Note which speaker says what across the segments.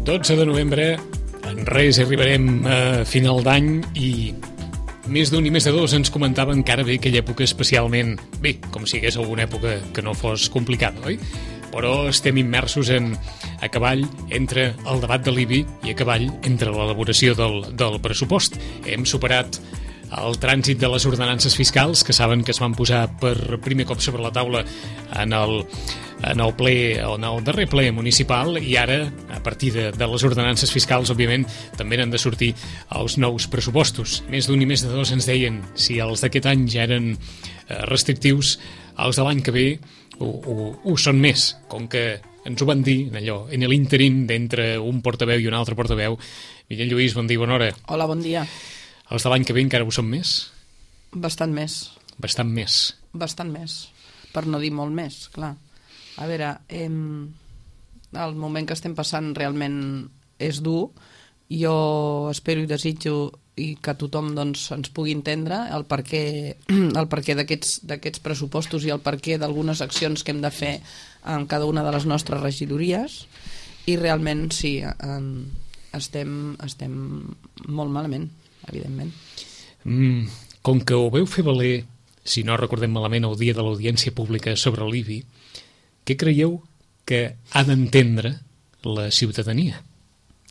Speaker 1: 12 de novembre, en res arribarem a final d'any i més d'un i més de dos ens comentaven que ara ve aquella època especialment, bé, com si hagués alguna època que no fos complicada, oi? Però estem immersos a cavall entre el debat de l'IBI i a cavall entre l'elaboració del pressupost. Hem superat el trànsit de les ordenances fiscals, que saben que es van posar per primer cop sobre la taula en el darrer ple municipal, i ara, a partir de les ordenances fiscals, òbviament, també n'han de sortir els nous pressupostos. Més d'un i més de dos ens deien si els d'aquest any ja eren restrictius, els de l'any que ve ho són més, com que ens ho van dir en l'ínterim d'entre un portaveu i un altre portaveu. Miquel Lluís, bon dia, bona hora.
Speaker 2: Hola, bon dia.
Speaker 1: Els de l'any que ve encara ho són més?
Speaker 2: Bastant més.
Speaker 1: Bastant més?
Speaker 2: Bastant més, per no dir molt més, clar. A veure, el moment que estem passant realment és dur. Jo espero i desitjo i que tothom doncs, ens pugui entendre el perquè d'aquests pressupostos i el perquè d'algunes accions que hem de fer en cada una de les nostres regidories, i realment sí, estem molt malament, evidentment.
Speaker 1: Com que ho veu fer valer, si no recordem malament, el dia de l'audiència pública sobre l'IBI, què creieu que ha d'entendre la ciutadania?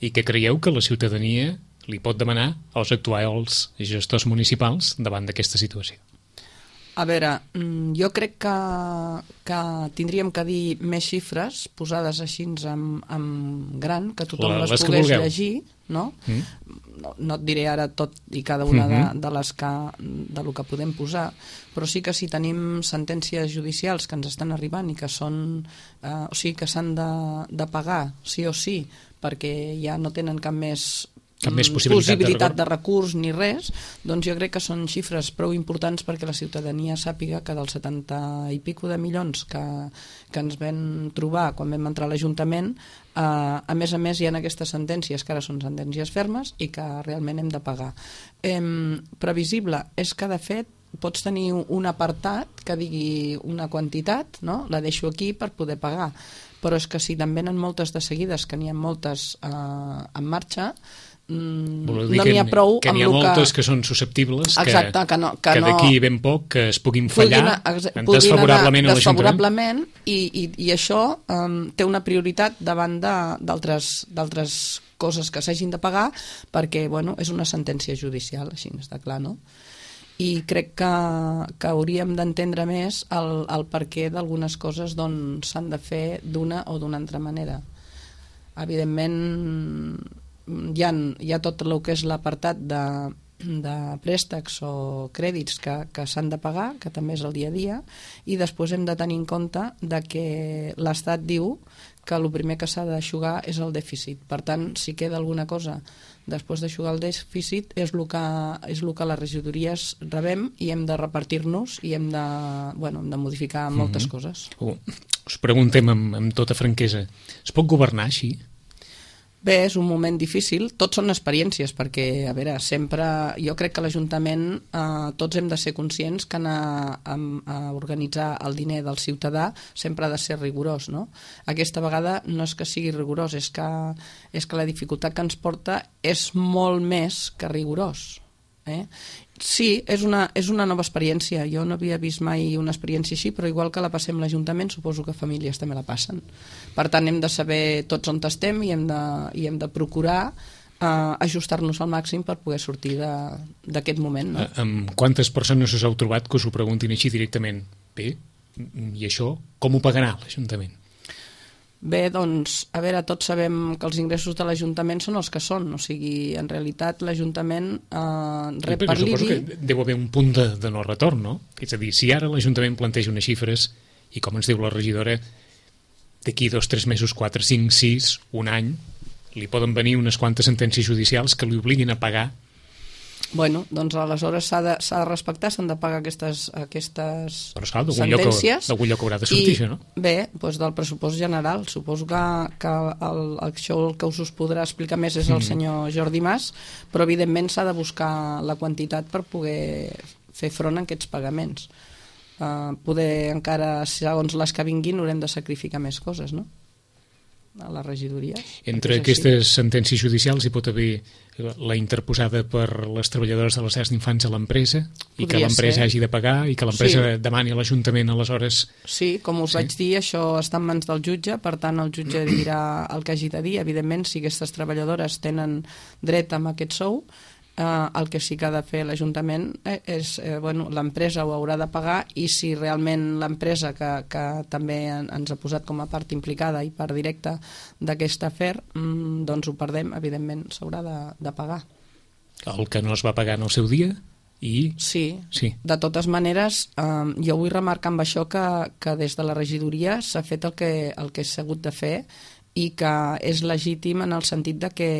Speaker 1: I què creieu que la ciutadania li pot demanar als actuals gestors municipals davant d'aquesta situació?
Speaker 2: A veure, jo crec que tindríem que dir més xifres posades així en gran, que tothom les pogués llegir, no? No et diré ara tot i cada una de les del que podem posar, però sí que si tenim sentències judicials que ens estan arribant i que són, o sigui, que s'han de pagar sí o sí, perquè ja no tenen cap més possibilitat de recurs ni res, doncs jo crec que són xifres prou importants perquè la ciutadania sàpiga que dels 70 i pico de milions que ens vam trobar quan vam entrar a l'Ajuntament, a més hi ha aquestes sentències que ara són sentències fermes i que realment hem de pagar. Previsible és que de fet pots tenir un apartat que digui una quantitat, no? La deixo aquí per poder pagar, però és que si te'n venen moltes de seguides, que n'hi ha moltes en marxa, no n'hi ha prou
Speaker 1: que n'hi ha moltes que són susceptibles,
Speaker 2: exacte,
Speaker 1: que d'aquí ben poc que es puguin fallar desfavorablement a l'Ajuntament, i això té una prioritat davant d'altres coses que s'hagin de pagar, perquè és una sentència judicial, així està clar, no? I crec que hauríem d'entendre més el perquè d'algunes coses s'han de fer d'una o d'una altra manera. Evidentment hi ha tot el que és l'apartat de préstecs o crèdits que s'han de pagar, que també és el dia a dia, i després hem de tenir en compte que l'Estat diu que el primer que s'ha d'aixugar és el dèficit. Per tant, si queda alguna cosa després d'aixugar el dèficit és el que les regidories rebem i hem de repartir-nos i hem de modificar moltes coses. Us preguntem amb tota franquesa, es pot governar així?
Speaker 2: Bé, és un moment difícil, tots són experiències, perquè, a veure, sempre, jo crec que l'Ajuntament, tots hem de ser conscients que anar a organitzar el diner del ciutadà sempre ha de ser rigorós, no? Aquesta vegada no és que sigui rigorós, és que la dificultat que ens porta és molt més que rigorós. Sí, és una nova experiència. Jo no havia vist mai una experiència així, però igual que la passem l'Ajuntament, suposo que famílies també la passen. Per tant, hem de saber tots on estem i hem de procurar ajustar-nos al màxim per poder sortir d'aquest moment. No?
Speaker 1: Amb quantes persones us heu trobat que us ho preguntin així directament? Bé, i això com ho pagarà l'Ajuntament?
Speaker 2: Bé, doncs, a veure, tots sabem que els ingressos de l'Ajuntament són els que són, o sigui, en realitat l'Ajuntament rep per l'IBI...
Speaker 1: Suposo que deu haver un punt de no retorn, no? És a dir, si ara l'Ajuntament planteja unes xifres i, com ens diu la regidora, d'aquí 2, 3 mesos, 4, 5, 6, un any, li poden venir unes quantes sentències judicials que li obliguin a pagar.
Speaker 2: Bueno, doncs aleshores s'ha de respectar, s'han de pagar aquestes
Speaker 1: però esclar,
Speaker 2: sentències.
Speaker 1: D'algun lloc haurà de sortir això, no?
Speaker 2: Bé, doncs del pressupost general. Suposo que això el que us podrà explicar més és el senyor Jordi Mas, però evidentment s'ha de buscar la quantitat per poder fer front a aquests pagaments. Poder encara, segons les que vinguin, haurem de sacrificar més coses, no? a la regidoria.
Speaker 1: Entre aquestes sentències judicials hi pot haver la interposada per les treballadores de les llars d'infants a l'empresa i que l'empresa hagi de pagar i que l'empresa demani a l'Ajuntament aleshores...
Speaker 2: Sí, com us vaig dir, això està en mans del jutge, per tant el jutge dirà el que hagi de dir. Evidentment, si aquestes treballadores tenen dret a aquest sou, el que sí que ha de fer l'Ajuntament és, l'empresa ho haurà de pagar, i si realment l'empresa que també ens ha posat com a part implicada i part directa d'aquest afer, doncs ho perdem, evidentment s'haurà de pagar.
Speaker 1: El que no es va pagar en el seu dia?
Speaker 2: Sí. De totes maneres, jo vull remarcar amb això que des de la regidoria s'ha fet el que s'ha hagut de fer i que és legítim en el sentit de que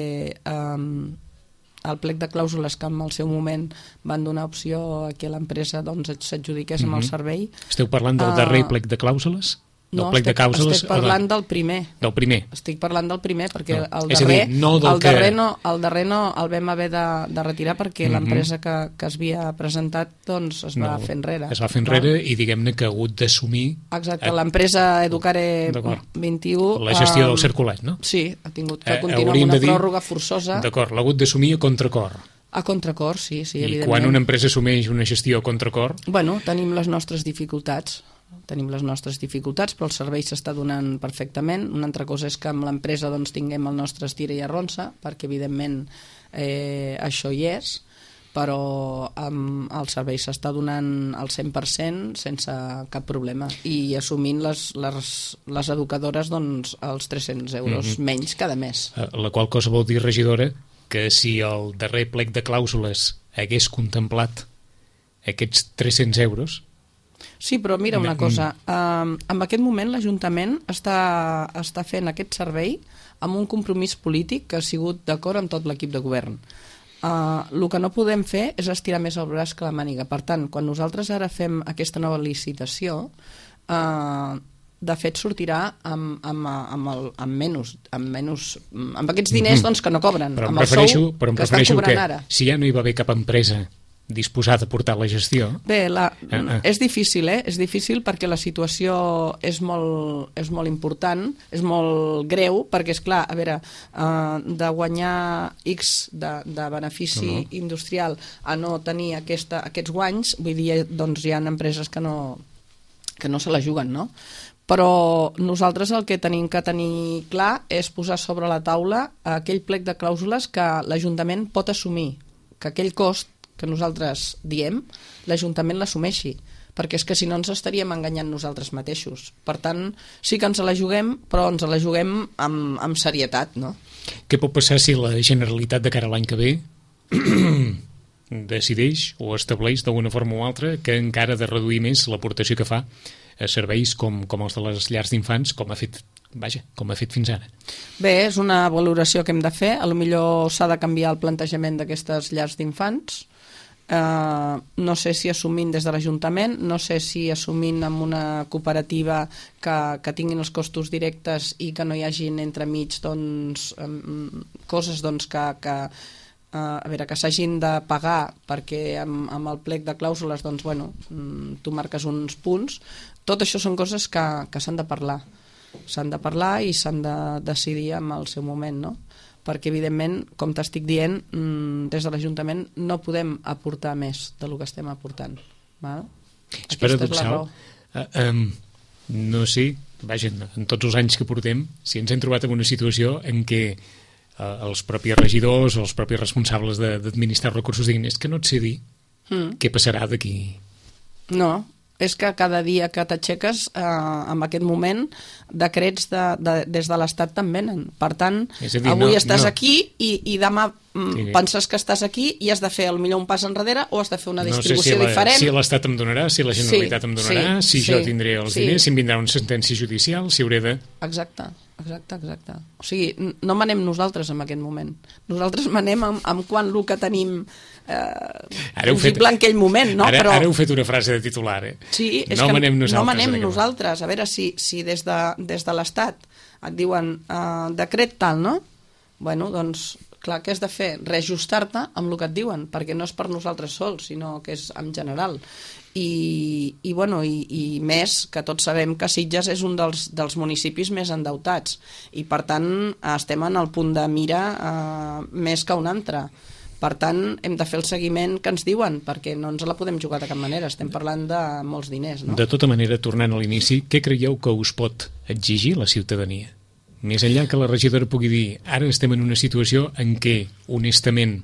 Speaker 2: el plec de clàusules que en el seu moment van donar opció a que l'empresa s'adjudiqués amb el servei...
Speaker 1: Esteu parlant del darrer plec de clàusules?
Speaker 2: No, estic parlant del primer.
Speaker 1: Del primer?
Speaker 2: Estic parlant del primer, perquè el darrer no el vam haver de retirar perquè l'empresa que es havia presentat doncs es va fer enrere.
Speaker 1: Es va fer enrere i diguem-ne que ha hagut d'assumir...
Speaker 2: Exacte, l'empresa Educare 21...
Speaker 1: La gestió del circulat, no?
Speaker 2: Sí, ha tingut que continuar amb una pròrroga forçosa.
Speaker 1: D'acord, l'ha hagut d'assumir a contracor.
Speaker 2: A contracor, sí, evidentment.
Speaker 1: I quan una empresa assumeix una gestió a contracor...
Speaker 2: Bueno, tenim les nostres dificultats, però el servei s'està donant perfectament. Una altra cosa és que amb l'empresa doncs, tinguem el nostre estira i arronsa, perquè evidentment això hi és, però el servei s'està donant al 100% sense cap problema, i assumint les educadores doncs, els 300 euros menys cada mes.
Speaker 1: La qual cosa vol dir, regidora, que si el darrer plec de clàusules hagués contemplat aquests 300 euros...
Speaker 2: Sí, però mira una cosa, en aquest moment l'Ajuntament està fent aquest servei amb un compromís polític que ha sigut d'acord amb tot l'equip de govern. El que no podem fer és estirar més el braç que la màniga. Per tant, quan nosaltres ara fem aquesta nova licitació, de fet sortirà amb aquests diners doncs, que no cobren, amb el sou que estan cobrant ara.
Speaker 1: Si ja no hi va haver cap empresa disposada a portar la gestió...
Speaker 2: Bé, és difícil, és difícil perquè la situació és molt important, és molt greu, perquè, esclar, a veure, de guanyar X de benefici industrial a no tenir aquests guanys, vull dir, doncs hi ha empreses que no se la juguen, no? Però nosaltres el que tenim que tenir clar és posar sobre la taula aquell plec de clàusules que l'Ajuntament pot assumir, que aquell cost que nosaltres diem, l'Ajuntament l'assumeixi, perquè és que si no ens estaríem enganyant nosaltres mateixos. Per tant, sí que ens la juguem, però ens la juguem amb serietat, no?
Speaker 1: Què pot passar si la Generalitat de cara a l'any que ve decideix o estableix d'alguna forma o altra que encara ha de reduir més l'aportació que fa a serveis com els de les llars d'infants, com ha fet fins ara?
Speaker 2: Bé, és una valoració que hem de fer. Potser s'ha de canviar el plantejament d'aquestes llars d'infants. No sé si assumint des de l'Ajuntament, no sé si assumint amb una cooperativa que tinguin els costos directes i que no hi hagin entremig doncs, coses doncs, que s'hagin de pagar perquè amb el plec de clàusules doncs, tu marques uns punts. Tot això són coses que s'han de parlar. S'han de parlar i s'han de decidir en el seu moment, no? Perquè, evidentment, com t'estic dient, des de l'Ajuntament no podem aportar més del que estem aportant.
Speaker 1: És paradoxal. No sé, en tots els anys que portem, si ens hem trobat en una situació en què els propis regidors o els propis responsables d'administrar recursos diguin és que no et sé dir què passarà d'aquí.
Speaker 2: No, és que cada dia que t'aixeques, en aquest moment, decrets des de l'Estat te'n venen. Per tant, avui estàs aquí i demà penses que estàs aquí i has de fer potser un pas enrere o has de fer una distribució diferent.
Speaker 1: No sé si l'Estat em donarà, si la Generalitat em donarà, si jo tindré els diners, si em vindrà una sentència judicial, si hauré de...
Speaker 2: Exacte. O sigui, no manem nosaltres en aquest moment. Nosaltres manem amb quan el que tenim possible en aquell moment, no?
Speaker 1: Ara heu fet una frase de titular,
Speaker 2: Sí, és
Speaker 1: no
Speaker 2: que
Speaker 1: manem nosaltres.
Speaker 2: No manem nosaltres. A veure, si des de l'Estat et diuen decret tal, no? Bueno, doncs, clar, què has de fer? Reajustar-te amb el que et diuen, perquè no és per nosaltres sols, sinó que és en general. i més que tots sabem que Sitges és un dels municipis més endeutats i per tant estem en el punt de mira més que un altre. Per tant, hem de fer el seguiment que ens diuen, perquè no ens la podem jugar de cap manera, estem parlant de molts diners, no?
Speaker 1: De tota manera, tornant a l'inici, què creieu que us pot exigir la ciutadania? Més enllà que la regidora pugui dir ara estem en una situació en què, honestament,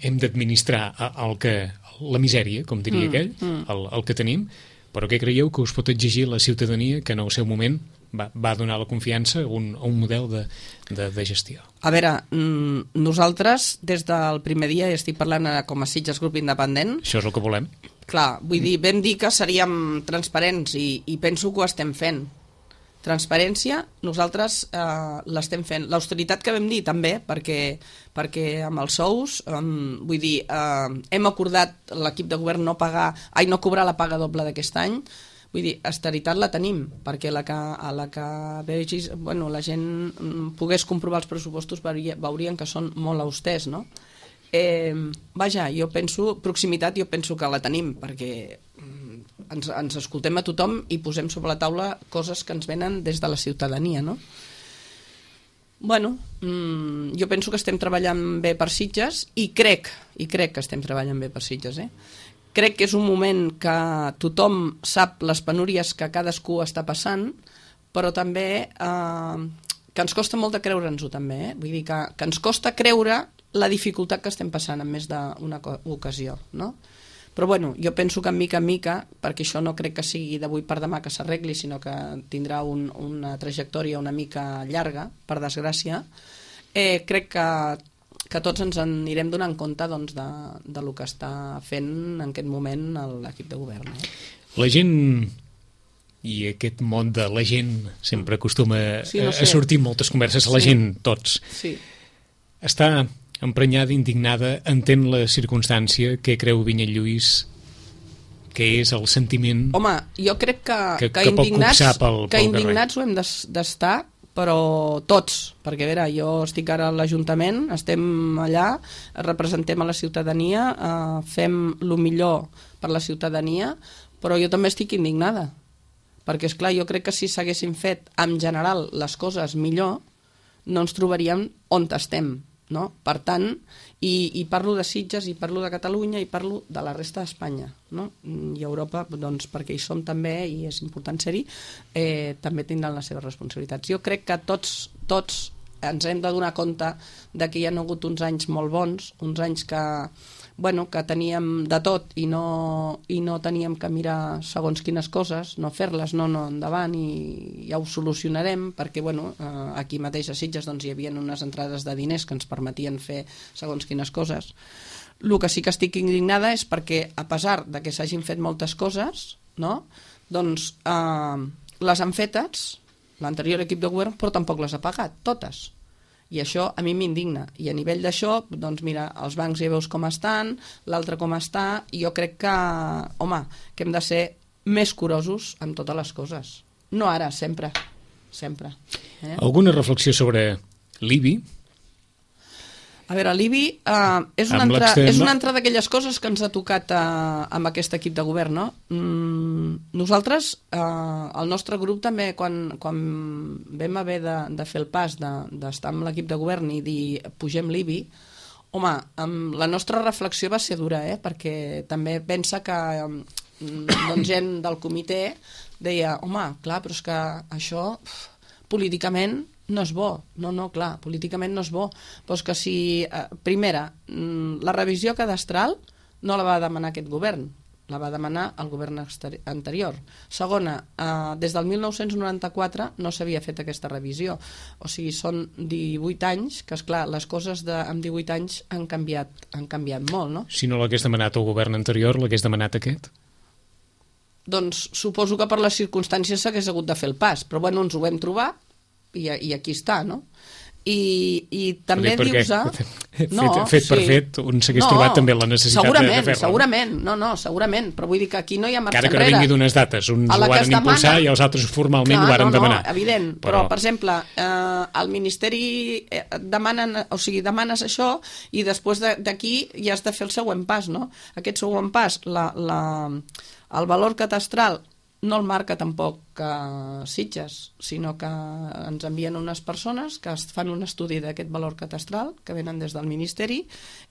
Speaker 1: hem d'administrar la misèria, com diria aquell, el que tenim, però què creieu que us pot exigir la ciutadania que en el seu moment va donar la confiança a un model de gestió?
Speaker 2: A veure, nosaltres des del primer dia, i estic parlant com a Sitges Grup Independent...
Speaker 1: Això és el que volem.
Speaker 2: Clar, vull dir, vam dir que seríem transparents i penso que ho estem fent. Transparència, nosaltres l'estem fent. L'austeritat que vam dir també, perquè amb els sous, vull dir, hem acordat l'equip de govern no cobrar la paga doble d'aquest any. Vull dir, austeritat la tenim, perquè la gent pogués comprovar els pressupostos veurien que són molt austers, no? Vaja, jo penso, proximitat jo penso que la tenim, perquè ens escoltem a tothom i posem sobre la taula coses que ens venen des de la ciutadania, no? Bueno, jo penso que estem treballant bé per Sitges i crec que estem treballant bé per Sitges, Crec que és un moment que tothom sap les penúries que cadascú està passant, però també que ens costa molt de creure'ns-ho també, Vull dir que ens costa creure la dificultat que estem passant en més d'una ocasió, no? Però bueno, jo penso que mica en mica, perquè això no crec que sigui d'avui per demà que s'arregli, sinó que tindrà una trajectòria una mica llarga, per desgràcia, crec que tots ens anirem donant compte doncs, de lo que està fent en aquest moment l'equip de govern.
Speaker 1: La gent, i aquest món de la gent sempre acostuma a sortir moltes converses, la gent, tots, està emprenyada, indignada, entén la circumstància, què creu Vinyet Lluís que és el sentiment...
Speaker 2: Home, jo crec que indignats ho hem d'estar, però tots, perquè a veure, jo estic ara a l'Ajuntament, estem allà, representem a la ciutadania, fem el millor per la ciutadania, però jo també estic indignada, perquè esclar, jo crec que si s'haguessin fet en general les coses millor, no ens trobaríem on estem, no? Per tant, i parlo de Sitges, i parlo de Catalunya, i parlo de la resta d'Espanya, no? I Europa, doncs, perquè hi som també, i és important ser-hi, també tindran les seves responsabilitats. Jo crec que tots ens hem de donar compte de que hi ha hagut uns anys molt bons, uns anys que teníem de tot i no teníem que mirar segons quines coses, no fer-les, no endavant, i ja ho solucionarem, perquè aquí mateix a Sitges doncs, hi havia unes entrades de diners que ens permetien fer segons quines coses. El que sí que estic indignada és perquè, a pesar de que s'hagin fet moltes coses, no? Doncs les han fetes l'anterior equip de govern, però tampoc les ha pagat, totes. I això a mi m'indigna. I a nivell d'això, doncs mira, els bancs ja veus com estan, l'altre com està, i jo crec que, que hem de ser més curosos amb totes les coses. No ara, sempre.
Speaker 1: Alguna reflexió sobre l'IBI?
Speaker 2: A veure, l'IBI és una altra d'aquelles coses que ens ha tocat amb aquest equip de govern, no? Nosaltres, el nostre grup també, quan vam haver de fer el pas d'estar amb l'equip de govern i dir pugem l'IBI, la nostra reflexió va ser dura, perquè també pensa que gent del comitè deia, clar, però és que això políticament no és bo, clar, políticament no és bo, però és que si, primera, la revisió cadastral no la va demanar aquest govern, la va demanar el govern anterior. Segona, des del 1994 no s'havia fet aquesta revisió, o sigui, són 18 anys, que esclar, les coses amb 18 anys han canviat molt, no?
Speaker 1: Si no l'hagués demanat el govern anterior, l'hagués demanat aquest?
Speaker 2: Doncs suposo que per les circumstàncies s'hagués hagut de fer el pas, però ens ho vam trobar, i aquí està, no? i també dius...
Speaker 1: Fet per fet, un s'hagués trobat també la necessitat de fer-lo.
Speaker 2: Segurament, però vull dir que aquí no hi ha marxa enrere.
Speaker 1: Encara que no vingui d'unes dates, uns ho varen impulsar i els altres formalment ho varen demanar.
Speaker 2: Evident, però per exemple, al Ministeri demanes això i després d'aquí ja has de fer el següent pas, no? Aquest següent pas, el valor catastral no el marca tampoc Sitges, sinó que ens envien unes persones que fan un estudi d'aquest valor catastral, que venen des del Ministeri,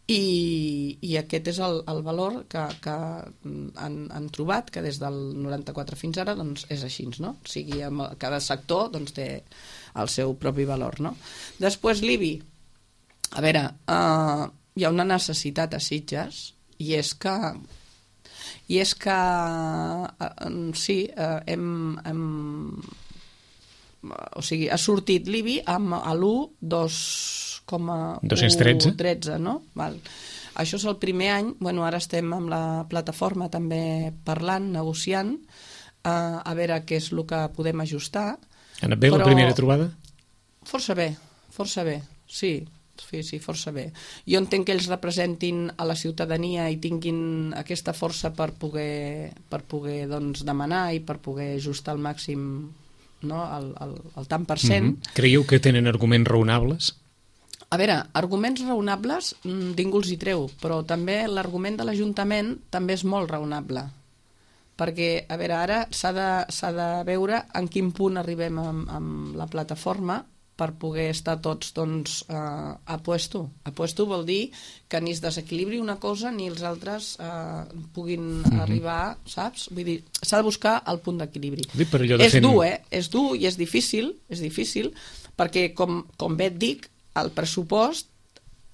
Speaker 2: i aquest és el valor que han trobat, que des del 94 fins ara doncs, és així, no? O sigui, cada sector doncs, té el seu propi valor, no? Després l'IBI. A veure, hi ha una necessitat a Sitges, i és que sí, o sigui, ha sortit l'IBI amb l'1,213, no? Val. Això és el primer any, bueno, ara estem amb la plataforma també parlant, negociant, a veure què és el que podem ajustar.
Speaker 1: Ha anat bé la primera trobada?
Speaker 2: Força bé, sí. Sí, força bé. Jo entenc que ells representin a la ciutadania i tinguin aquesta força per poder doncs, demanar i per poder ajustar al màxim, no, el tant per cent.
Speaker 1: Creieu que tenen arguments raonables?
Speaker 2: A veure, arguments raonables ningú els hi treu, però també l'argument de l'Ajuntament també és molt raonable. Perquè, a veure, ara s'ha de veure en quin punt arribem amb la plataforma per poder estar tots doncs, a puesto. A puesto vol dir que ni es desequilibri una cosa ni els altres puguin arribar, saps? Vull dir, s'ha de buscar el punt d'equilibri. És dur, és dur i és difícil, perquè, com bé et dic, el pressupost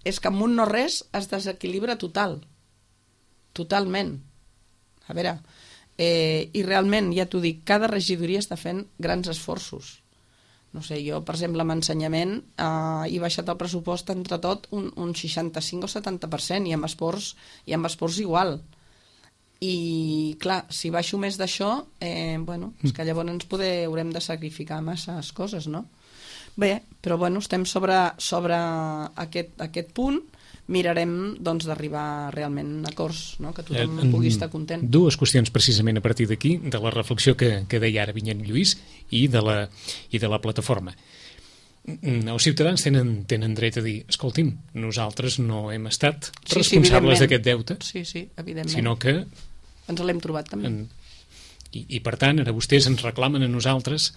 Speaker 2: és que amb un no res es desequilibra totalment. A veure, i realment, ja t'ho dic, cada regidoria està fent grans esforços. No sé, jo, per exemple, amb ensenyament he baixat el pressupost entre tot un 65 o 70% i amb esports igual. I, clar, si baixo més d'això, bueno, és que llavors haurem de sacrificar masses coses, no? Bé, però bueno, estem sobre aquest punt, mirarem doncs, d'arribar realment a acords, no? Que tothom pugui estar content.
Speaker 1: Dues qüestions precisament a partir d'aquí, de la reflexió que deia ara Vinyet Lluís i de la plataforma. Els ciutadans tenen dret a dir, escolti'm, nosaltres no hem estat responsables d'aquest deute,
Speaker 2: evidentment.
Speaker 1: Sinó que
Speaker 2: ens l'hem trobat també.
Speaker 1: I per tant, ara vostès ens reclamen a nosaltres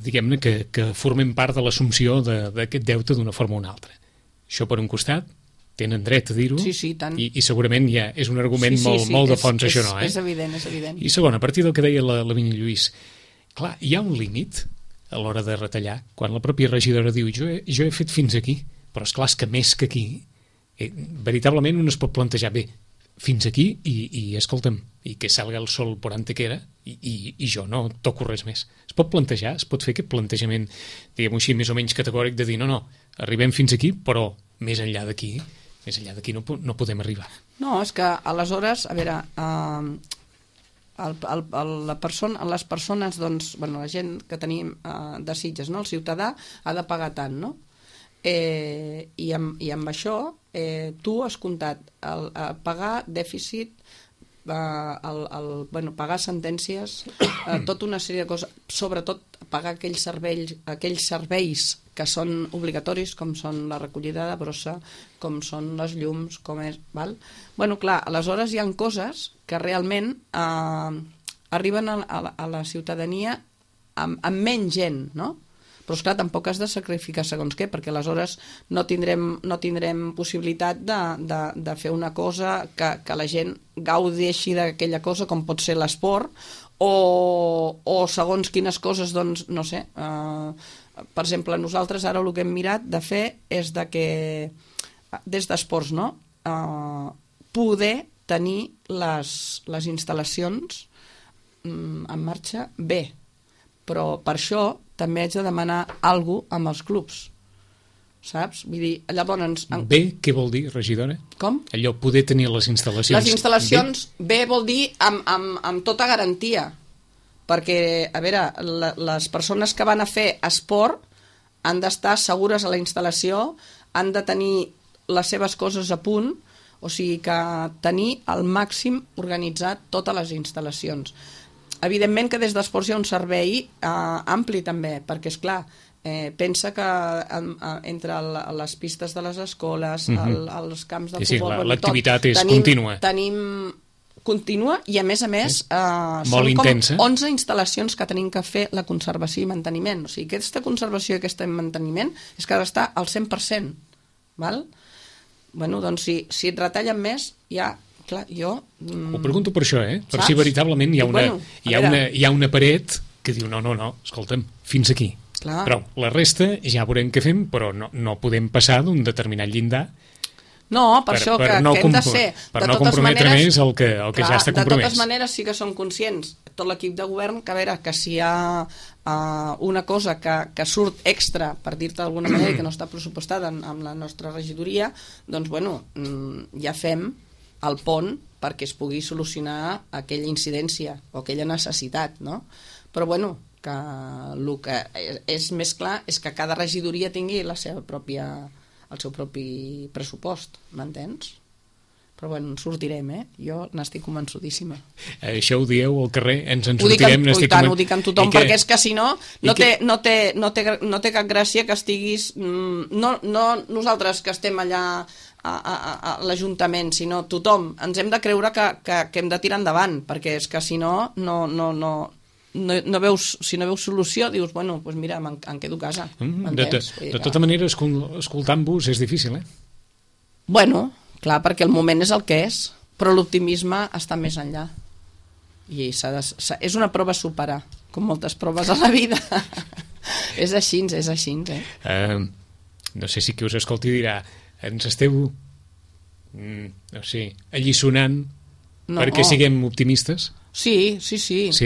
Speaker 1: diguem-ne que formem part de l'assumpció d'aquest deute d'una forma o una altra. Això per un costat, tenen dret a dir-ho,
Speaker 2: tant.
Speaker 1: I segurament ja és un argument molt de fons, això no,
Speaker 2: És evident.
Speaker 1: I segon, a partir del que deia la Vinyet Lluís, clar, hi ha un límit a l'hora de retallar, quan la pròpia regidora diu jo he fet fins aquí, però esclar, és que més que aquí, veritablement un es pot plantejar, bé, fins aquí i escolta'm, i que salga el sol por antequera i jo no toco res més. Es pot plantejar, es pot fer aquest plantejament, diguem-ho així, més o menys categòric de dir no, arribem fins aquí, però més enllà d'aquí no podem arribar.
Speaker 2: No, és que aleshores, a veure, les persones, doncs, bueno, la gent que tenim de Sitges, no? El ciutadà ha de pagar tant, no? I amb això tu has comptat pagar dèficit, pagar sentències, tota una sèrie de coses, sobretot pagar aquells serveis que són obligatoris, com són la recollida de brossa, com són les llums, com és... Val? Bueno, clar, aleshores hi ha coses que realment arriben a la ciutadania amb menys gent, no? Però, esclar, tampoc has de sacrificar segons què, perquè aleshores no tindrem possibilitat de fer una cosa que la gent gaudeixi d'aquella cosa, com pot ser l'esport, o segons quines coses, doncs, no sé. Per exemple, nosaltres ara el que hem mirat de fer és que, des d'esports, no? Poder tenir les instal·lacions en marxa bé. Però per això també haig de demanar alguna cosa amb els clubs, saps? Vull dir, llavors...
Speaker 1: Bé, què vol dir, regidora?
Speaker 2: Com?
Speaker 1: Allò, poder tenir les instal·lacions...
Speaker 2: Les instal·lacions bé vol dir amb tota garantia, perquè, a veure, les persones que van a fer esport han d'estar segures a la instal·lació, han de tenir les seves coses a punt, o sigui que tenir al màxim organitzat totes les instal·lacions. Evidentment que des d'esports hi ha un servei ampli també, perquè és clar, pensa que entre les pistes de les escoles, els camps de futbol...
Speaker 1: Sí, l'activitat és contínua.
Speaker 2: Tenim contínua i, a més,
Speaker 1: són
Speaker 2: com 11 instal·lacions que tenim que fer la conservació i manteniment. O sigui, aquesta conservació i aquest manteniment és que ha d'estar al 100%. Val? Bueno, doncs si et retallen més, ja... Clar, jo...
Speaker 1: Ho pregunto per això, per si veritablement hi ha una paret que diu no, escolta'm, fins aquí.
Speaker 2: Clar.
Speaker 1: Però la resta ja veurem què fem, però no podem passar d'un determinat llindar.
Speaker 2: No, per això que hem de ser...
Speaker 1: Per no comprometre més el que ja està compromès.
Speaker 2: De totes maneres sí que som conscients, tot l'equip de govern, que a veure, que si hi ha una cosa que surt extra, per dir-te d'alguna manera, que no està pressupostada amb la nostra regidoria, doncs, bueno, ja fem el pont perquè es pugui solucionar aquella incidència o aquella necessitat, no? Però, bueno, que el que és més clar és que cada regidoria tingui el seu propi pressupost, m'entens? Però bueno, en sortirem, jo n'estic convençudíssima.
Speaker 1: Això ho dieu al carrer, ens en sortirem.
Speaker 2: Ho dic amb tothom, perquè és que si no, no té cap gràcia que estiguis... No nosaltres que estem allà a l'Ajuntament, sinó tothom. Ens hem de creure que hem de tirar endavant, perquè és que si no veus solució, dius, bueno, doncs mira, em quedo a casa.
Speaker 1: De tota manera, escoltant-vos és difícil,
Speaker 2: Bueno, clar, perquè el moment és el que és, però l'optimisme està més enllà. I és una prova a superar, com moltes proves a la vida. És així,
Speaker 1: no sé si qui us escolti dirà, ens esteu alliçonant perquè siguem optimistes?
Speaker 2: Sí. A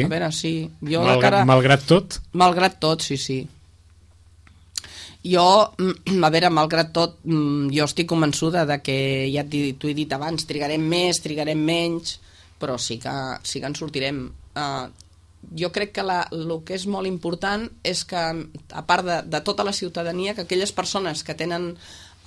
Speaker 2: veure, sí.
Speaker 1: Malgrat tot?
Speaker 2: Malgrat tot, sí. Jo, a veure, malgrat tot, jo estic convençuda de que, ja t'ho he dit abans, trigarem més, trigarem menys, però sí que en sortirem. Jo crec que el que és molt important és que, a part de tota la ciutadania, que aquelles persones que tenen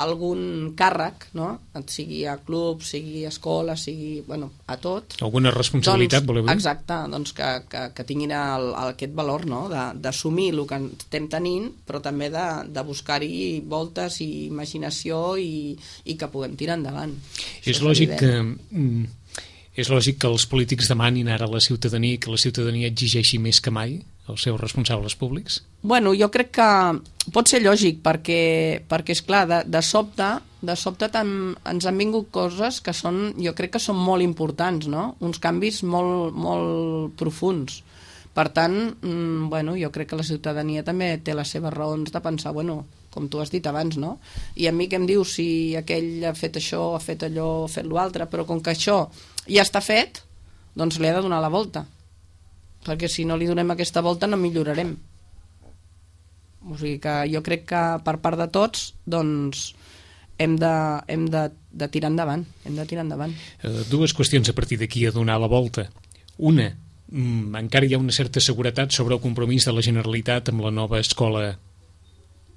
Speaker 2: algun càrrec, no? Sigui a club, sigui a escola, sigui, bueno, a tot.
Speaker 1: Alguna responsabilitat, voleu dir?
Speaker 2: Exacte, doncs que tinguin aquest valor, no? D'assumir el que estem tenint, però també de buscar-hi voltes i imaginació i que puguem tirar endavant.
Speaker 1: És lògic que els polítics demanin ara a la ciutadania que la ciutadania exigeixi més que mai els seus responsables públics?
Speaker 2: Bueno, jo crec que pot ser lògic perquè esclar, de sobte ens han vingut coses que jo crec que són molt importants, no? Uns canvis molt, molt profuns. Per tant, bueno, jo crec que la ciutadania també té les seves raons de pensar, bueno, com tu has dit abans, no? I a mi què em dius si aquell ha fet això, ha fet allò, ha fet l'altre, però com que això ja està fet, doncs li ha de donar la volta. Perquè si no li donem aquesta volta no millorarem. O sigui que jo crec que per part de tots doncs hem de tirar endavant.
Speaker 1: Dues qüestions a partir d'aquí a donar la volta. Una, encara hi ha una certa seguretat sobre el compromís de la Generalitat amb la nova escola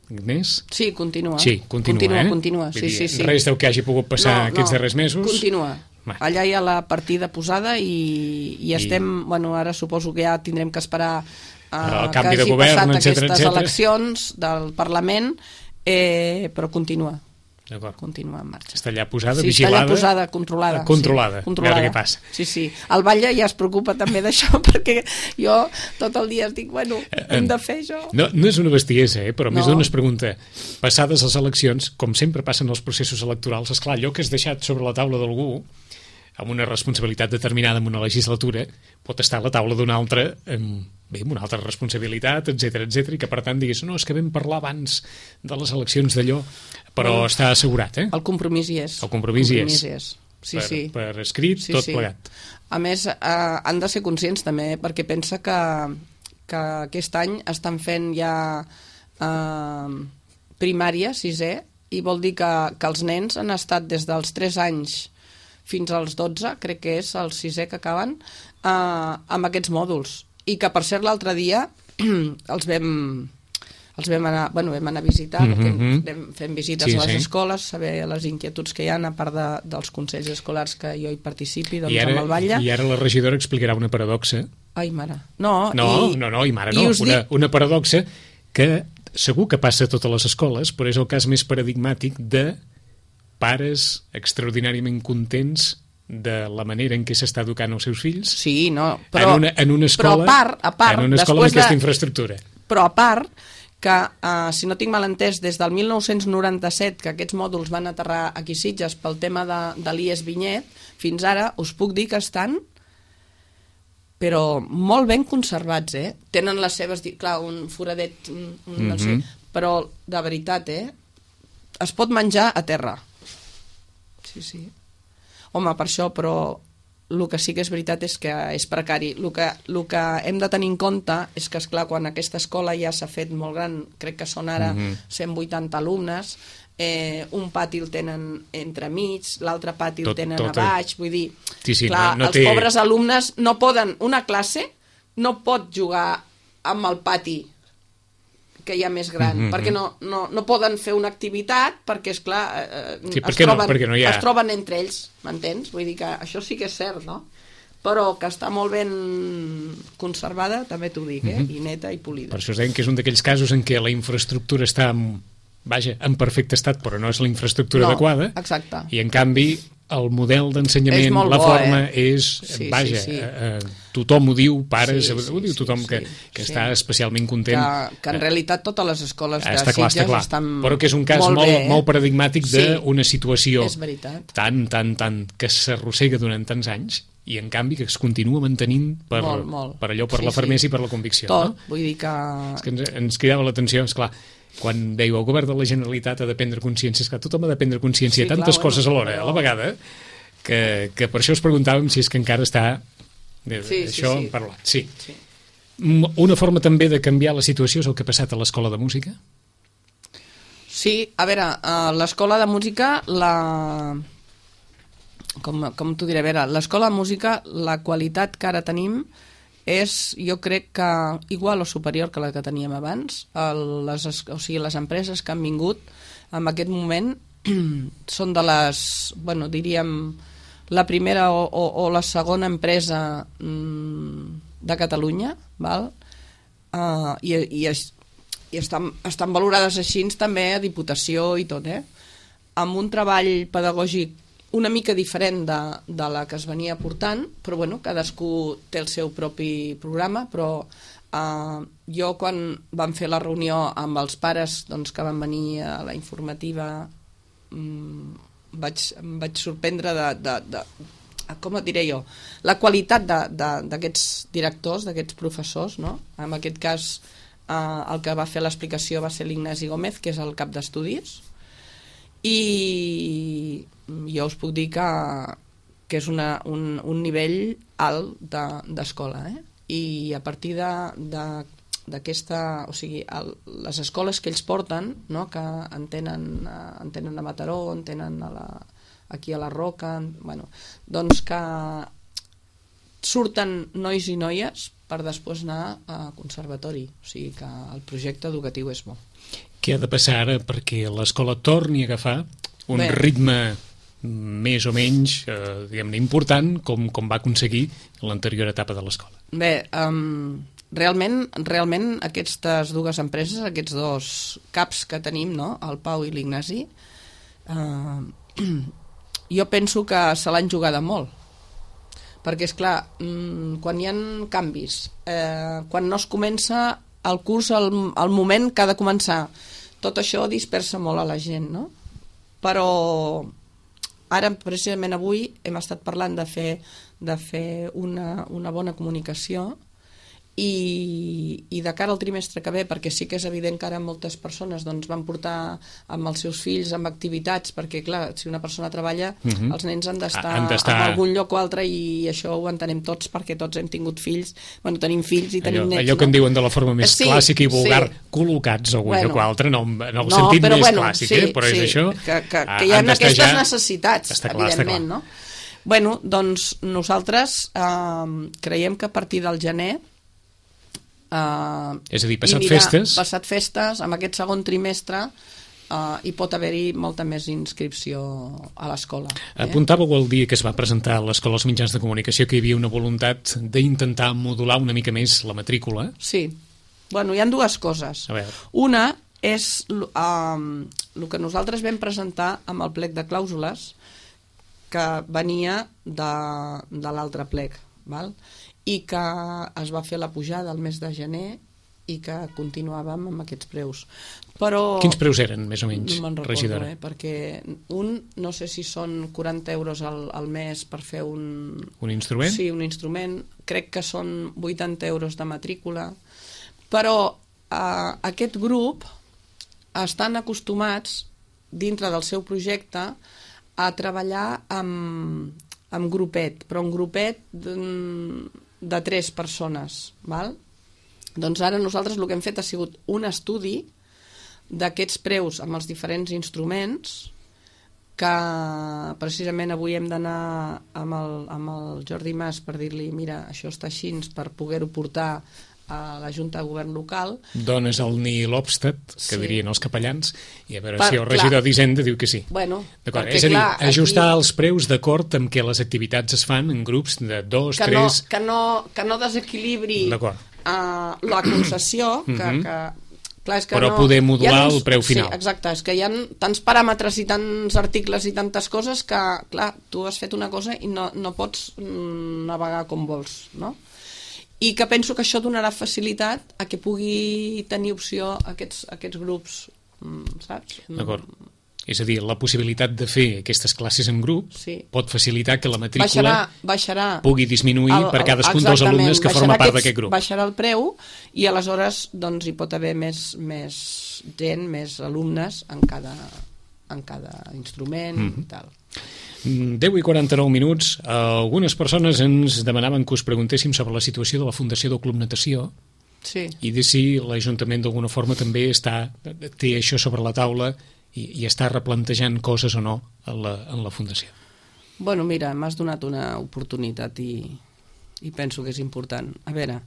Speaker 1: Agnès?
Speaker 2: Sí, continua.
Speaker 1: Sí, continua.
Speaker 2: Sí.
Speaker 1: Res del que hagi pogut passar aquests darrers mesos?
Speaker 2: Continua. Allà hi ha la partida posada i estem, bueno, ara suposo que ja tindrem que esperar
Speaker 1: el canvi de govern, etcètera,
Speaker 2: aquestes eleccions del Parlament, però continua.
Speaker 1: D'acord.
Speaker 2: Continua en marxa.
Speaker 1: Està allà posada,
Speaker 2: sí,
Speaker 1: vigilada?
Speaker 2: Està allà posada, controlada.
Speaker 1: Controlada. A veure què passa.
Speaker 2: Sí. El Batlle ja es preocupa també d'això, perquè jo tot el dia dic, bueno, hem de fer això.
Speaker 1: No és una bestiesa, però més d'una es pregunta, passades les eleccions, com sempre passen els processos electorals, esclar, allò que has deixat sobre la taula d'algú, amb una responsabilitat determinada en una legislatura, pot estar a la taula d'una altra amb una altra responsabilitat, etcètera, i que per tant digués, no, és que vam parlar abans de les eleccions d'allò, però està assegurat,
Speaker 2: El compromís hi és.
Speaker 1: El compromís hi és.
Speaker 2: Sí.
Speaker 1: Per escrit, tot plegat.
Speaker 2: A més, han de ser conscients també, perquè pensa que aquest any estan fent ja primària, sisè, i vol dir que els nens han estat des dels 3 anys fins als 12, crec que és el 6è que acaben, amb aquests mòduls. I que, per cert, l'altre dia els els vam anar a visitar, perquè fem visites a les escoles, saber les inquietuds que hi ha, a part dels consells escolars que jo hi participi, doncs amb el batlle.
Speaker 1: I ara la regidora explicarà una paradoxa.
Speaker 2: Ai, mare.
Speaker 1: Una paradoxa que segur que passa a totes les escoles, però és el cas més paradigmàtic de pares extraordinàriament contents de la manera en què s'està educant els seus fills.
Speaker 2: Sí, no, però
Speaker 1: en una escola,
Speaker 2: a part
Speaker 1: amb aquesta infraestructura.
Speaker 2: Però a part que, si no tinc mal entès, des del 1997, que aquests mòduls van aterrar aquí a Sitges pel tema de l'IES Vinyet, fins ara us puc dir que estan però molt ben conservats, Tenen les seves... Clar, un foradet, no sé, però de veritat, es pot menjar a terra. Sí. Home, per això, però el que sí que és veritat és que és precari. El que hem de tenir en compte és que, esclar, quan aquesta escola ja s'ha fet molt gran, crec que són ara 180 alumnes, un pati el tenen entremig, l'altre pati el tenen a baix, vull dir, clar, els pobres alumnes no poden, una classe no pot jugar amb el pati que hi ha més gran, perquè no poden fer una activitat, perquè, esclar, es troben entre ells, m'entens? Vull dir que això sí que és cert, no? Però que està molt ben conservada, també t'ho dic, i neta i polida.
Speaker 1: Per això es deien que és un d'aquells casos en què la infraestructura està en perfecte estat, però no és la infraestructura adequada.
Speaker 2: Exacte.
Speaker 1: I, en canvi, el model d'ensenyament, la forma, és... Tothom ho diu, pares, ho diu tothom que està especialment content.
Speaker 2: Que en realitat totes les escoles de Sitges estan molt bé.
Speaker 1: Però que és un cas molt paradigmàtic d'una situació tan que s'arrossega durant tants anys i, en canvi, que es continua mantenint per la fermesa i per la convicció.
Speaker 2: Tot, vull dir que...
Speaker 1: És que ens cridava l'atenció, esclar, quan dèieu el govern de la Generalitat ha de prendre consciència, és que tothom ha de prendre consciència de tantes coses alhora, a la vegada, que per això us preguntàvem si és que encara està això parlat. Sí. Una forma també de canviar la situació és el que ha passat a l'Escola de Música?
Speaker 2: Sí, a veure, l'Escola de Música, com t'ho diré, a veure, l'Escola de Música, la qualitat que ara tenim és, jo crec que igual o superior que la que teníem abans. Les empreses que han vingut en aquest moment són de les, diríem, la primera o la segona empresa de Catalunya, val? I estan valorades així també a Diputació i tot, amb un treball pedagògic una mica diferent de la que es venia portant, però cadascú té el seu propi programa, però jo quan vam fer la reunió amb els pares que van venir a la informativa em vaig sorprendre de com et diré jo, la qualitat d'aquests directors, d'aquests professors, no? En aquest cas el que va fer l'explicació va ser l'Ignasi Gómez, que és el cap d'estudis, i jo us puc dir que és un nivell alt d'escola, i a partir d'aquesta, o sigui, les escoles que ells porten, no? Que en tenen a Mataró, en tenen aquí a la Roca, doncs que surten nois i noies per després anar a conservatori, o sigui que el projecte educatiu és bo.
Speaker 1: Què ha de passar ara perquè l'escola torni a agafar un ritme més o menys diguem-ne important com va aconseguir l'anterior etapa de l'escola?
Speaker 2: Bé, realment aquestes dues empreses, aquests dos caps que tenim, no? El Pau i l'Ignasi, jo penso que se l'han jugada molt, perquè és clar, quan hi ha canvis, quan no es comença el curs al moment que ha de començar, tot això dispersa molt a la gent, no? Però ara, precisament avui, hem estat parlant de fer una bona comunicació i de cara al trimestre que ve, perquè sí que és evident que ara moltes persones van portar amb els seus fills amb activitats, perquè clar, si una persona treballa, els nens han d'estar en algun lloc o altre, i això ho entenem tots perquè tots hem tingut fills, tenim fills i tenim nets.
Speaker 1: Allò que en diuen de la forma més clàssica i vulgar, col·locats a algun lloc o altre, no el sentit més clàssic, però és això.
Speaker 2: Que hi ha aquestes necessitats, evidentment, no? Doncs nosaltres creiem que a partir del gener
Speaker 1: És a dir, passat
Speaker 2: festes, en aquest segon trimestre hi pot haver-hi molta més inscripció a l'escola.
Speaker 1: Apuntàveu el dia que es va presentar a l'Escola dels Mitjans de Comunicació que hi havia una voluntat d'intentar modular una mica més la matrícula.
Speaker 2: Sí. Bueno, hi ha dues coses. Una és el que nosaltres vam presentar amb el plec de clàusules que venia de l'altre plec, val? I que es va fer la pujada el mes de gener i que continuàvem amb aquests preus. Però
Speaker 1: quins preus eren, més o menys,
Speaker 2: no me'n recordo,
Speaker 1: regidora?
Speaker 2: Perquè no sé si són 40 euros al mes per fer un
Speaker 1: instrument?
Speaker 2: Sí, un instrument. Crec que són 80 euros de matrícula. Però aquest grup estan acostumats, dintre del seu projecte, a treballar amb grupet, però un grupet de 3 persones, val? Doncs ara nosaltres el que hem fet ha sigut un estudi d'aquests preus amb els diferents instruments, que precisament avui hem d'anar amb el Jordi Mas per dir-li, mira, això està així, per poder-ho portar a la Junta de Govern local.
Speaker 1: Dones el Nil Obstat, que dirien els capellans, i a veure si el regidor d'Hisenda diu que sí.
Speaker 2: Bueno,
Speaker 1: perquè, és a dir, ajustar els preus d'acord amb què les activitats es fan en grups de 2, 3...
Speaker 2: Que no desequilibri la concessió, clar, és que
Speaker 1: però poder modular el preu final.
Speaker 2: Sí, exacte, és que hi ha tants paràmetres i tants articles i tantes coses que, clar, tu has fet una cosa i no pots navegar com vols, no? I que penso que això donarà facilitat a que pugui tenir opció aquests grups, saps?
Speaker 1: D'acord. És a dir, la possibilitat de fer aquestes classes en grup pot facilitar que la matrícula pugui disminuir per cadascun dels alumnes que forma part d'aquest grup.
Speaker 2: Baixarà el preu i aleshores doncs, hi pot haver més gent, més alumnes en cada instrument i tal.
Speaker 1: 10:49. Algunes persones ens demanaven que us preguntéssim sobre la situació de la Fundació del Club Natació i de si l'Ajuntament d'alguna forma també té això sobre la taula i està replantejant coses o no en la Fundació.
Speaker 2: Bueno, mira, m'has donat una oportunitat i penso que és important. A veure,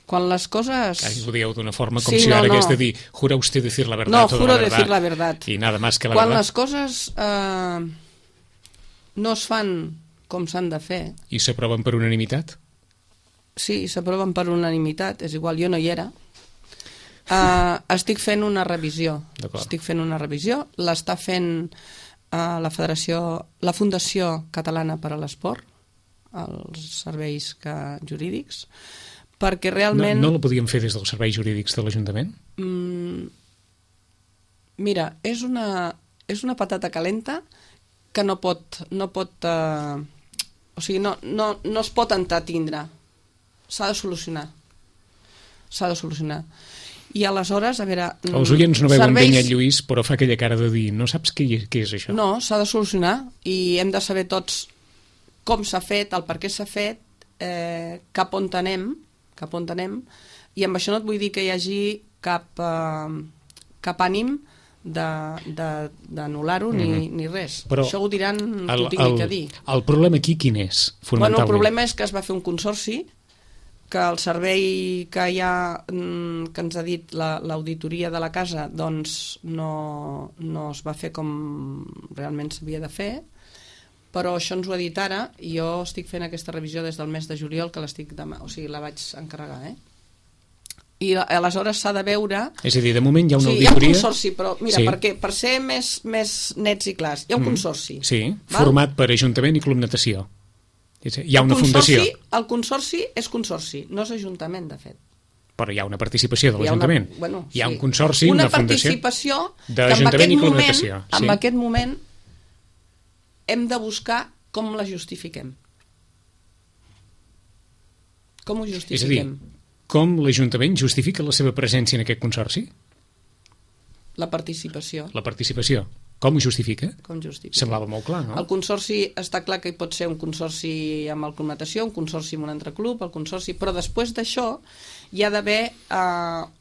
Speaker 2: quan les coses...
Speaker 1: Ho dieu d'una forma com si ara hagués de dir jura usted decir la verdad.
Speaker 2: No, juro decir la verdad.
Speaker 1: I nada más que la
Speaker 2: verdad.
Speaker 1: Quan
Speaker 2: les coses no es fan com s'han de fer...
Speaker 1: I s'aproven per unanimitat?
Speaker 2: Sí, s'aproven per unanimitat, és igual, jo no hi era. Estic fent una revisió. L'està fent la Fundació Catalana per a l'Esport, els serveis jurídics, perquè realment...
Speaker 1: No la podíem fer des dels serveis jurídics de l'Ajuntament?
Speaker 2: Mira, és una patata calenta que no pot o sigui, no es pot entretindre. S'ha de solucionar. I aleshores, a veure...
Speaker 1: Els oients no veuen ben el Lluís, però fa aquella cara de dir, no saps què és això?
Speaker 2: No, s'ha de solucionar i hem de saber tots com s'ha fet, el per què s'ha fet, cap on anem, i amb això no et vull dir que hi hagi cap ànim d'anul·lar-ho ni res.
Speaker 1: Però
Speaker 2: això ho diran que ho tingui que dir.
Speaker 1: El problema aquí quin és, fonamentalment?
Speaker 2: El problema és que es va fer un consorci, que el servei que que ens ha dit l'auditoria de la casa doncs no es va fer com realment s'havia de fer, però això ens ho ha dit ara i jo estic fent aquesta revisió des del mes de juliol que la vaig encarregar, i aleshores s'ha de veure...
Speaker 1: És a dir, de moment hi ha una auditoria...
Speaker 2: Hi ha un consorci, però mira, perquè per ser més nets i clars, hi ha un consorci.
Speaker 1: Sí, format per Ajuntament i Club Natació. Hi ha una fundació.
Speaker 2: El consorci és consorci, no és ajuntament, de fet.
Speaker 1: Però hi ha una participació de l'Ajuntament. Hi ha un consorci,
Speaker 2: una
Speaker 1: fundació...
Speaker 2: Una participació
Speaker 1: d'Ajuntament i Club Natació.
Speaker 2: En aquest moment hem de buscar com la justifiquem. Com ho justifiquem?
Speaker 1: És a dir, com l'Ajuntament justifica la seva presència en aquest consorci?
Speaker 2: La participació.
Speaker 1: La participació. Com ho justifica? Semblava molt clar, no?
Speaker 2: El consorci està clar que hi pot ser un consorci amb el Club Natació, un consorci amb un altre club, però després d'això hi ha d'haver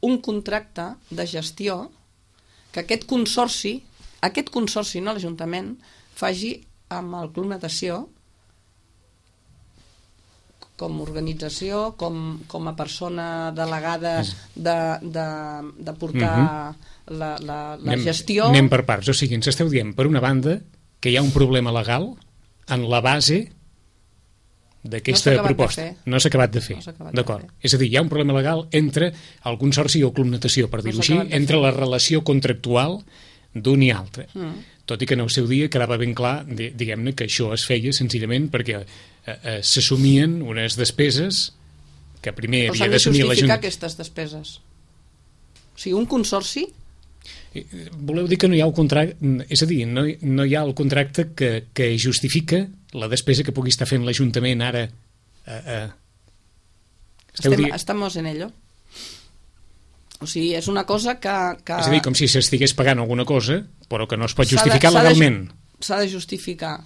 Speaker 2: un contracte de gestió que aquest consorci, no l'Ajuntament, faci amb el Club Natació com a organització, com a persona delegada de portar la gestió...
Speaker 1: Anem per parts, o sigui, ens esteu dient, per una banda, que hi ha un problema legal en la base d'aquesta proposta. No s'ha acabat de fer. D'acord. És a dir, hi ha un problema legal entre el consorci o club natació, per dir-ho així, entre la relació contractual d'un i altre. Tot i que en el seu dia quedava ben clar, diguem-ne, que això es feia senzillament perquè s'assumien unes despeses que primer havia d'assumir la Junta.
Speaker 2: Però s'han de justificar aquestes despeses. O sigui, un consorci...
Speaker 1: Voleu dir que no hi ha el contracte, és a dir, no hi ha el contracte que justifica la despesa que pugui estar fent l'Ajuntament ara?
Speaker 2: Estamos en ello. O sigui, és una cosa que...
Speaker 1: És a dir, com si s'estigués pagant alguna cosa, però que no es pot justificar legalment.
Speaker 2: S'ha de justificar.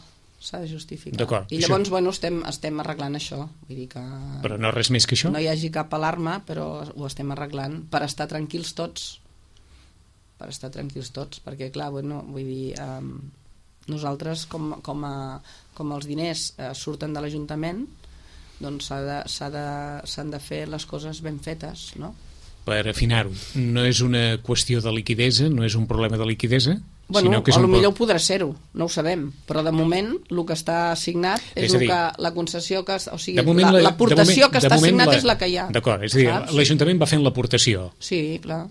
Speaker 2: I llavors, bueno, estem arreglant això. Vull dir que...
Speaker 1: Però no res més que això?
Speaker 2: No hi hagi cap alarma, però ho estem arreglant per estar tranquils tots. Perquè, clar, bueno, vull dir, nosaltres, com els diners surten de l'Ajuntament, doncs s'han de fer les coses ben fetes, no?
Speaker 1: Per afinar-ho, no és una qüestió de liquidesa, no és un problema de liquidesa?
Speaker 2: Bueno, potser ho podrà ser-ho, no ho sabem, però de moment el que està assignat és la concessió que... O sigui, l'aportació que està assignat és la que hi ha.
Speaker 1: D'acord, és a dir, l'Ajuntament va fent l'aportació.
Speaker 2: Sí, clar.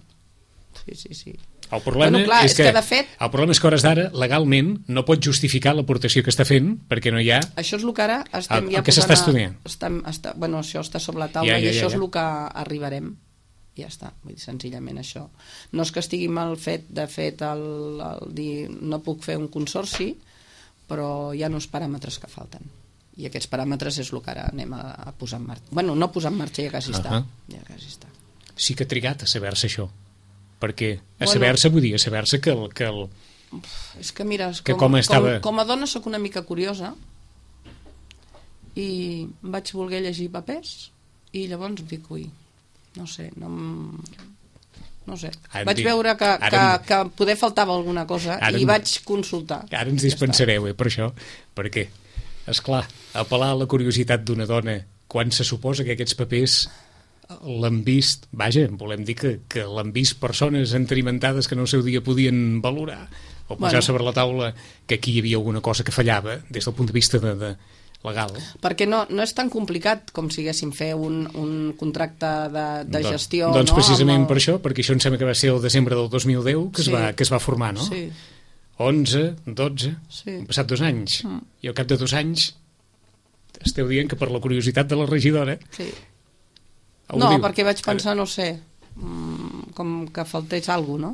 Speaker 2: Sí.
Speaker 1: El problema és que el problema és que a hores d'ara legalment no pot justificar l'aportació que està fent perquè no hi ha...
Speaker 2: Això és el que ara estem ja posant...
Speaker 1: El que s'està estudiant.
Speaker 2: Bueno, això està sobre la taula i això és el que arribarem. Ja està, vull dir, senzillament això. No és que estigui mal fet, de fet, el dir no puc fer un consorci, però hi ha uns paràmetres que falten. I aquests paràmetres és el que ara anem a posar en marxa. Bueno, no posar en marxa, ja quasi està.
Speaker 1: Sí que ha trigat a saber-se això. Perquè a saber-se, vull dir, a saber-se que el...
Speaker 2: És que mira, com a dona sóc una mica curiosa i vaig voler llegir papers i llavors dic, ui, no sé. Vaig veure que poder faltava alguna cosa i vaig consultar.
Speaker 1: Ara ens dispensareu, per això, perquè, esclar, apel·lar a la curiositat d'una dona quan se suposa que aquests papers l'han vist, volem dir que l'han vist persones entenimentades que en el seu dia podien valorar o posar sobre la taula que aquí hi havia alguna cosa que fallava des del punt de vista legal.
Speaker 2: Perquè no és tan complicat com si haguéssim fer un contracte de gestió.
Speaker 1: Doncs precisament per això, perquè això em sembla que va ser el desembre del 2010 que es va formar, no?
Speaker 2: Sí.
Speaker 1: 11, 12, han passat 2 anys i al cap de 2 anys esteu dient que per la curiositat de la regidora...
Speaker 2: Sí. No, perquè vaig pensar, no sé, com que faltés alguna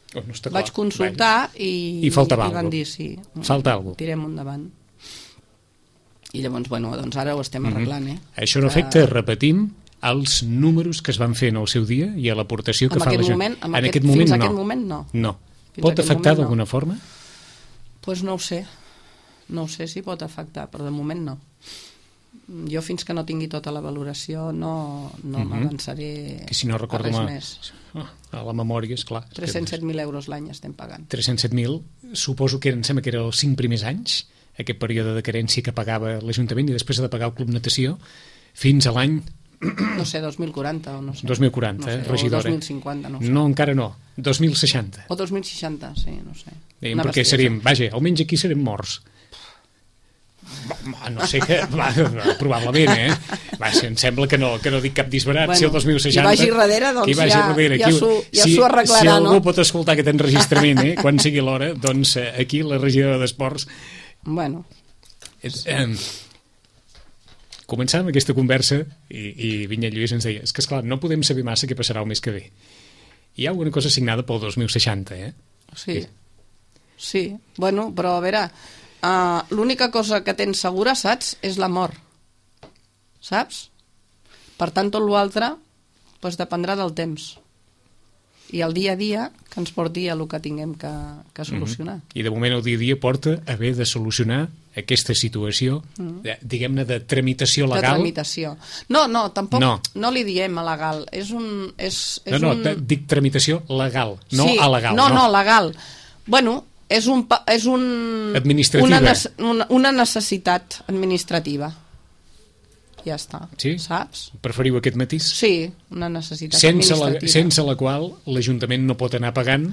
Speaker 2: cosa, no? Vaig consultar i van dir sí,
Speaker 1: falta alguna cosa,
Speaker 2: tirem endavant. I llavors, bueno, doncs ara ho estem arreglant,
Speaker 1: Això no afecta, repetim, els números que es van fer en el seu dia i a l'aportació que fa la gent.
Speaker 2: En aquest moment no.
Speaker 1: No. Pot afectar d'alguna forma?
Speaker 2: Doncs no ho sé. No ho sé si pot afectar, però de moment no. Jo fins que no tingui tota la valoració no m'avançaré
Speaker 1: que si no recordo
Speaker 2: a res més.
Speaker 1: A la memòria, esclar.
Speaker 2: 307.000 euros l'any estem pagant.
Speaker 1: 307.000, suposo que em sembla que era els 5 primers anys, aquest període de carència que pagava l'Ajuntament i després ha de pagar el Club Natació fins a l'any...
Speaker 2: No sé, 2040 o no sé.
Speaker 1: 2040,
Speaker 2: no sé,
Speaker 1: regidora.
Speaker 2: O 2050, no sé.
Speaker 1: No, encara no. 2060.
Speaker 2: O 2060, sí, no sé.
Speaker 1: Perquè seríem, almenys aquí serem morts. No sé què, probablement, em sembla que no dic cap disbarat, si el 2060...
Speaker 2: Qui vagi darrere, doncs ja s'ho arreglarà,
Speaker 1: si algú pot escoltar aquest enregistrament, quan sigui l'hora, doncs aquí la regidora d'Esports...
Speaker 2: Bueno...
Speaker 1: Començàvem aquesta conversa i Vinyet Lluís ens deia, és que esclar, no podem saber massa què passarà el mes que ve. Hi ha alguna cosa signada pel 2060,
Speaker 2: Sí, bueno, però a veure... l'única cosa que tens segura, saps, és la mort, saps? Per tant, tot l'altre doncs dependrà del temps i el dia a dia que ens porti a el que tinguem que solucionar.
Speaker 1: I de moment el dia a dia porta a haver de solucionar aquesta situació, diguem-ne, de tramitació legal.
Speaker 2: De tramitació. No, tampoc no li diem a legal.
Speaker 1: Dic tramitació legal, no
Speaker 2: sí,
Speaker 1: a legal.
Speaker 2: No, legal. Bueno, és una necessitat administrativa. ja està,
Speaker 1: sí?
Speaker 2: Saps?
Speaker 1: Preferiu aquest matís?
Speaker 2: Sí, una necessitat administrativa.
Speaker 1: Sense la qual l'Ajuntament no pot anar pagant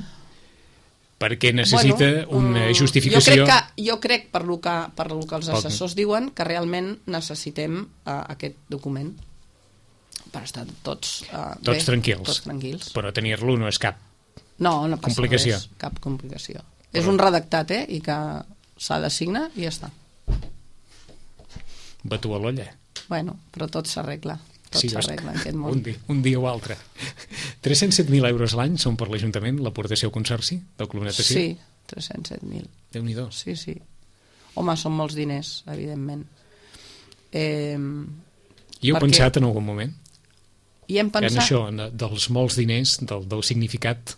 Speaker 1: perquè necessita una justificació...
Speaker 2: Jo crec per lo que els assessors diuen, que realment necessitem aquest document per estar tots bé,
Speaker 1: tranquils. Però tenir-lo no és cap
Speaker 2: complicació. Cap complicació. És un redactat, i que s'ha de signar i ja està.
Speaker 1: Batu a l'olla.
Speaker 2: Bueno, però tot s'arregla. Tot s'arregla en aquest món.
Speaker 1: Un dia o altre. 307.000 euros l'any són per l'Ajuntament l'aportació al Consorci del Club Natació?
Speaker 2: Sí, 307.000.
Speaker 1: Déu-n'hi-do.
Speaker 2: Sí. Home, són molts diners, evidentment.
Speaker 1: I heu pensat en algun moment?
Speaker 2: I hem pensat...
Speaker 1: En això, dels molts diners, del significat...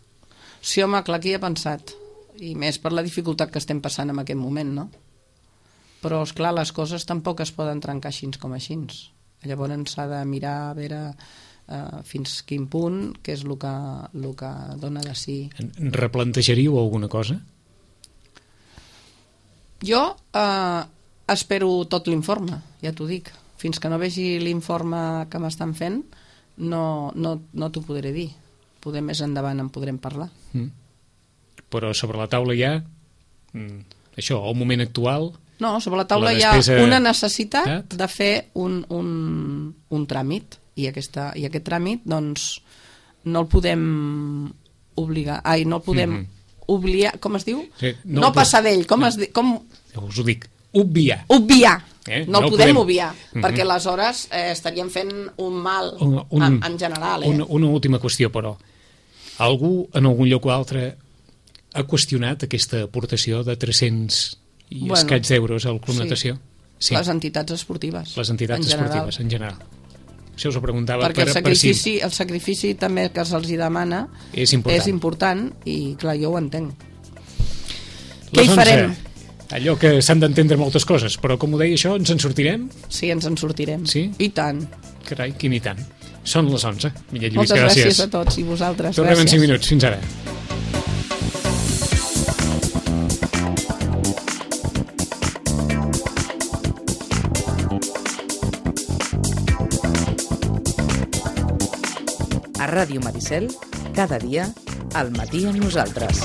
Speaker 2: Sí, home, clar que hi he pensat. I més per la dificultat que estem passant en aquest moment, no? Però, esclar, les coses tampoc es poden trencar així com així. Llavors s'ha de mirar a veure fins quin punt, què és el que dona de si.
Speaker 1: Replantejaríeu alguna cosa?
Speaker 2: Jo espero tot l'informe, ja t'ho dic. Fins que no vegi l'informe que m'estan fent, no t'ho podré dir. Poder més endavant en podrem parlar.
Speaker 1: Però sobre la taula hi ha això, al moment actual...
Speaker 2: No, sobre la taula hi ha una necessitat de fer un tràmit, i aquest tràmit doncs no el podem obligar, no el podem obligar, com es diu? Sí, no passar d'ell, com us
Speaker 1: ho dic, obviar.
Speaker 2: No el podem obviar, perquè aleshores estaríem fent un mal en general.
Speaker 1: Una última qüestió, però. Algú en algun lloc o altre ha qüestionat aquesta aportació de 300 i escaig d'euros al Club Natació?
Speaker 2: Sí. Les entitats esportives.
Speaker 1: Les entitats esportives, en general. Això us ho preguntava
Speaker 2: perquè el sacrifici també que se'ls demana és important i clar, jo ho entenc. Què hi farem?
Speaker 1: Allò que s'han d'entendre moltes coses, però com ho deia això, ens en sortirem?
Speaker 2: Sí, ens en sortirem.
Speaker 1: Sí?
Speaker 2: I tant.
Speaker 1: Carai, quin i tant. Són les 11. Millet Lluís,
Speaker 2: moltes gràcies a tots i vosaltres.
Speaker 1: Tornem en 5 minuts. Fins ara.
Speaker 3: A Ràdio Maricel, cada dia, al matí amb nosaltres.